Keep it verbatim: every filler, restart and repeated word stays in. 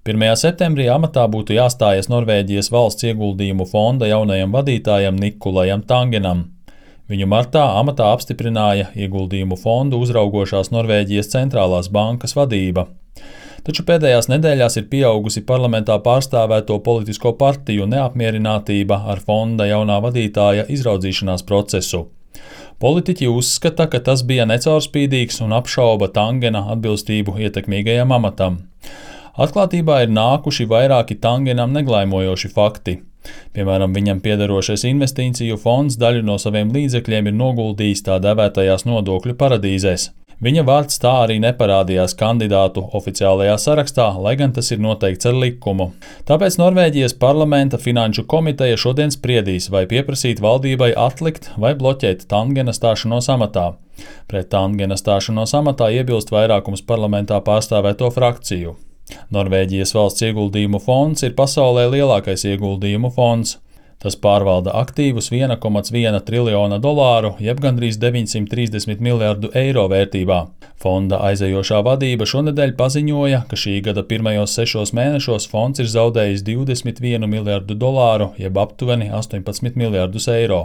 pirmajā septembrī amatā būtu jāstājas Norvēģijas valsts ieguldījumu fonda jaunajam vadītājam Nikulajam Tangenam. Viņu martā amatā apstiprināja ieguldījumu fondu uzraugošās Norvēģijas centrālās bankas vadība. Taču pēdējās nedēļās ir pieaugusi parlamentā pārstāvēto politisko partiju neapmierinātība ar fonda jaunā vadītāja izraudzīšanās procesu. Politiķi uzskata, ka tas bija necaurspīdīgs un apšauba Tangena atbilstību ietekmīgajam amatam. Atklātībā ir nākuši vairāki Tangenam neglaimojoši fakti. Piemēram, viņam piederošais investīciju fonds daļu no saviem līdzekļiem ir noguldījis tā dēvētajās nodokļu paradīzēs. Viņa vārds tā arī neparādījās kandidātu oficiālajā sarakstā, lai gan tas ir noteikts ar likumu. Tāpēc Norvēģijas parlamenta finanšu komiteja šodien spriedīs, vai pieprasīt valdībai atlikt vai bloķēt Tangena stāšanos amatā. Pret Tangena stāšanos amatā iebilst vairākums parlamentā pārstāvēto frakciju. Norvēģijas valsts ieguldījumu fonds ir pasaulē lielākais ieguldījumu fonds. Tas pārvalda aktīvus viena komata viena triljona dolāru, jeb gandrīz deviņsimt trīsdesmit miljardu eiro vērtībā. Fonda aizejošā vadība šonedēļ paziņoja, ka šī gada pirmajos sešos mēnešos fonds ir zaudējis divdesmit vienu miljardu dolāru, jeb aptuveni astoņpadsmit miljardus eiro.